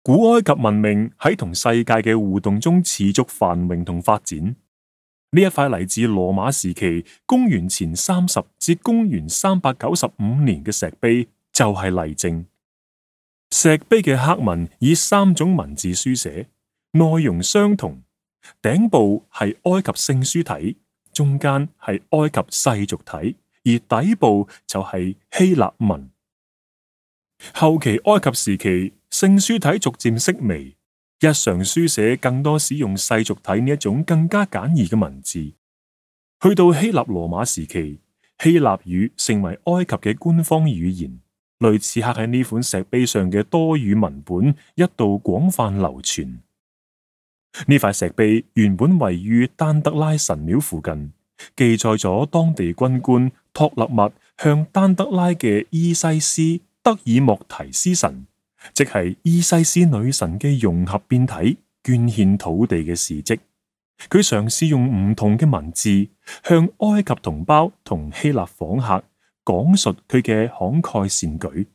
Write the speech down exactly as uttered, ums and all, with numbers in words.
古埃及文明喺同世界嘅互動中持續繁榮同發展。呢一塊嚟自羅馬時期公元前三十至公元三百九十五年嘅石碑就係例證。石碑嘅刻文以三種文字書寫，內容相同，頂部係埃及聖書體，中間係埃及世俗體，而底部就係希臘文。後期埃及時期，聖書體逐漸式微，日常書寫更多使用世俗體呢一種更加簡易嘅文字。去到希臘羅馬時期，希臘語成為埃及嘅官方語言，類似刻喺呢款石碑上嘅多語文本一度廣泛流傳。呢塊石碑原本位於丹德拉神廟附近，記載咗當地軍官托勒密向丹德拉嘅伊西斯德爾莫提斯神，即係伊西斯女神嘅融合變體，捐獻土地嘅事蹟。佢嘗試用唔同嘅文字向埃及同胞同希臘訪客講述佢嘅慷慨善舉。